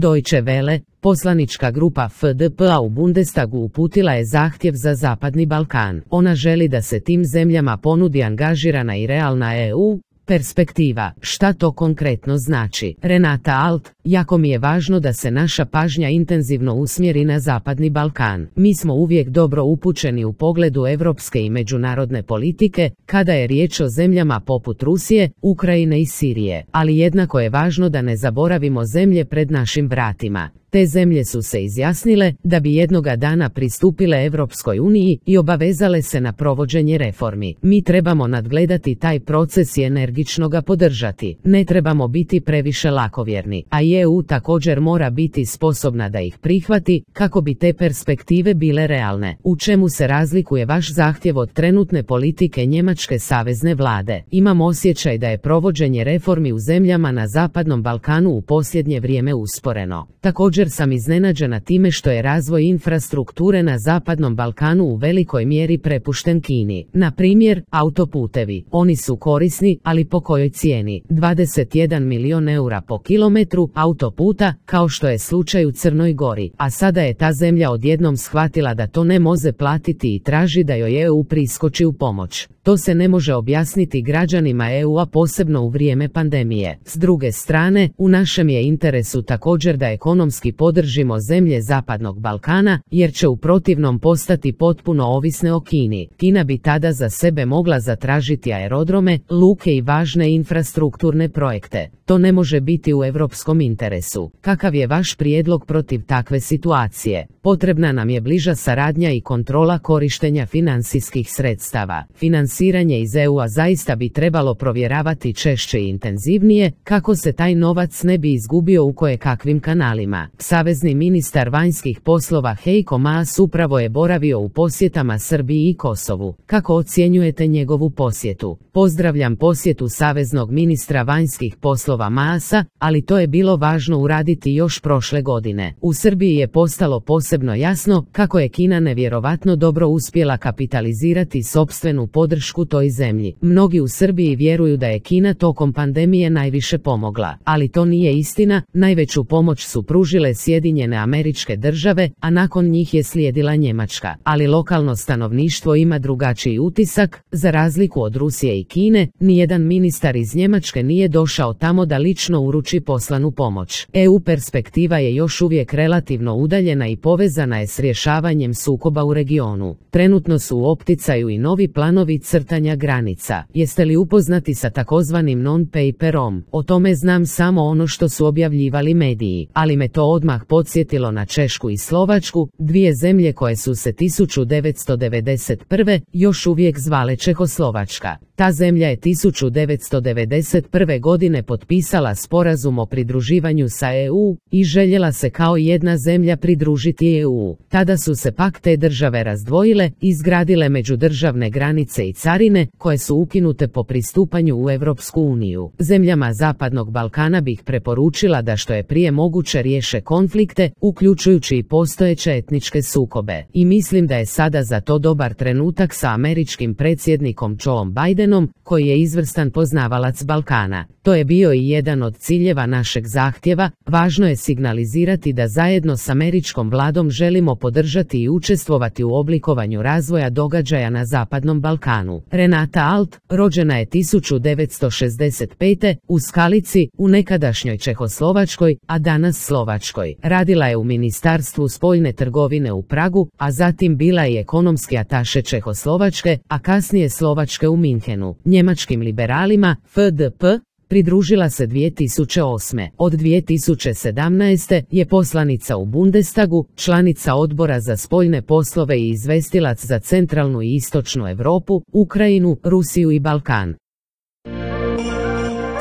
Deutsche Welle, poslanička grupa FDP-a u Bundestagu uputila je zahtjev za Zapadni Balkan. Ona želi da se tim zemljama ponudi angažirana i realna EU perspektiva. Šta to konkretno znači? Renata Alt: jako mi je važno da se naša pažnja intenzivno usmjeri na Zapadni Balkan. Mi smo uvijek dobro upućeni u pogledu europske i međunarodne politike, kada je riječ o zemljama poput Rusije, Ukrajine i Sirije. Ali jednako je važno da ne zaboravimo zemlje pred našim vratima. Te zemlje su se izjasnile da bi jednoga dana pristupile Europskoj uniji i obavezale se na provođenje reformi. Mi trebamo nadgledati taj proces i energično ga podržati. Ne trebamo biti previše lakovjerni, a i EU također mora biti sposobna da ih prihvati kako bi te perspektive bile realne. U čemu se razlikuje vaš zahtjev od trenutne politike njemačke savezne vlade? Imam osjećaj da je provođenje reformi u zemljama na Zapadnom Balkanu u posljednje vrijeme usporeno. Također sam iznenađena time što je razvoj infrastrukture na Zapadnom Balkanu u velikoj mjeri prepušten Kini. Na primjer, autoputevi. Oni su korisni, ali po kojoj cijeni? 21 milion eura po kilometru autoputa, kao što je slučaj u Crnoj Gori. A sada je ta zemlja odjednom shvatila da to ne može platiti i traži da joj EU priskoči u pomoć. To se ne može objasniti građanima EU-a, posebno u vrijeme pandemije. S druge strane, u našem je interesu također da ekonomski podržimo zemlje Zapadnog Balkana, jer će u protivnom postati potpuno ovisne o Kini. Kina bi tada za sebe mogla zatražiti aerodrome, luke i važne infrastrukturne projekte. To ne može biti u europskom interesu. Kakav je vaš prijedlog protiv takve situacije? Potrebna nam je bliža saradnja i kontrola korištenja financijskih sredstava. Financiranje iz EU-a zaista bi trebalo provjeravati češće i intenzivnije, kako se taj novac ne bi izgubio u kojekakvim kanalima. Savezni ministar vanjskih poslova Heiko Maas upravo je boravio u posjetama Srbiji i Kosovu. Kako ocjenjujete njegovu posjetu? Pozdravljam posjetu saveznog ministra vanjskih poslova Maasa, ali to je bilo važno uraditi još prošle godine. U Srbiji je postalo posebno jasno kako je Kina nevjerovatno dobro uspjela kapitalizirati sopstvenu podršku toj zemlji. Mnogi u Srbiji vjeruju da je Kina tokom pandemije najviše pomogla, ali to nije istina. Najveću pomoć su pružile Sjedinjene Američke Države, a nakon njih je slijedila Njemačka. Ali lokalno stanovništvo ima drugačiji utisak. Za razliku od Rusije i Kine, nijedan ministar iz Njemačke nije došao tamo da lično uruči poslanu pomoć. EU perspektiva je još uvijek relativno udaljena i povezana je s rješavanjem sukoba u regionu. Trenutno su u opticaju i novi planovi crtanja granica. Jeste li upoznati sa takozvanim non-paperom? O tome znam samo ono što su objavljivali mediji, ali me to odmah podsjetilo na Češku i Slovačku, dvije zemlje koje su se 1991. još uvijek zvale Čehoslovačka. Ta zemlja je 1991. godine potpisala sporazum o pridruživanju sa EU i željela se kao jedna zemlja pridružiti EU. Tada su se pak te države razdvojile, izgradile međudržavne granice i carine, koje su ukinute po pristupanju u Europsku uniju. Zemljama Zapadnog Balkana bih preporučila da što je prije moguće riješe konflikte, uključujući i postojeće etničke sukobe. I mislim da je sada za to dobar trenutak sa američkim predsjednikom Joeom Bidenom, koji je izvrstan poznavalac Balkana. To je bio i jedan od ciljeva našeg zahtjeva. Važno je signalizirati da zajedno s američkom vladom želimo podržati i učestvovati u oblikovanju razvoja događaja na Zapadnom Balkanu. Renata Alt, rođena je 1965. u Skalici, u nekadašnjoj Čehoslovačkoj, a danas Slovačkoj. Radila je u Ministarstvu spoljne trgovine u Pragu, a zatim bila je ekonomski ataše Čehoslovačke, a kasnije Slovačke u Minhenu. Njemačkim liberalima, FDP, pridružila se 2008. Od 2017. je poslanica u Bundestagu, članica odbora za spoljne poslove i izvestilac za centralnu i istočnu Europu, Ukrajinu, Rusiju i Balkan.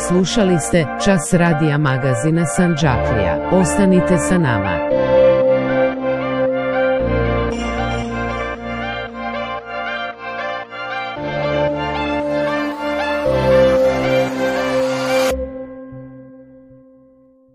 Slušali ste Čas radija magazina Sandžaklija. Ostanite sa nama.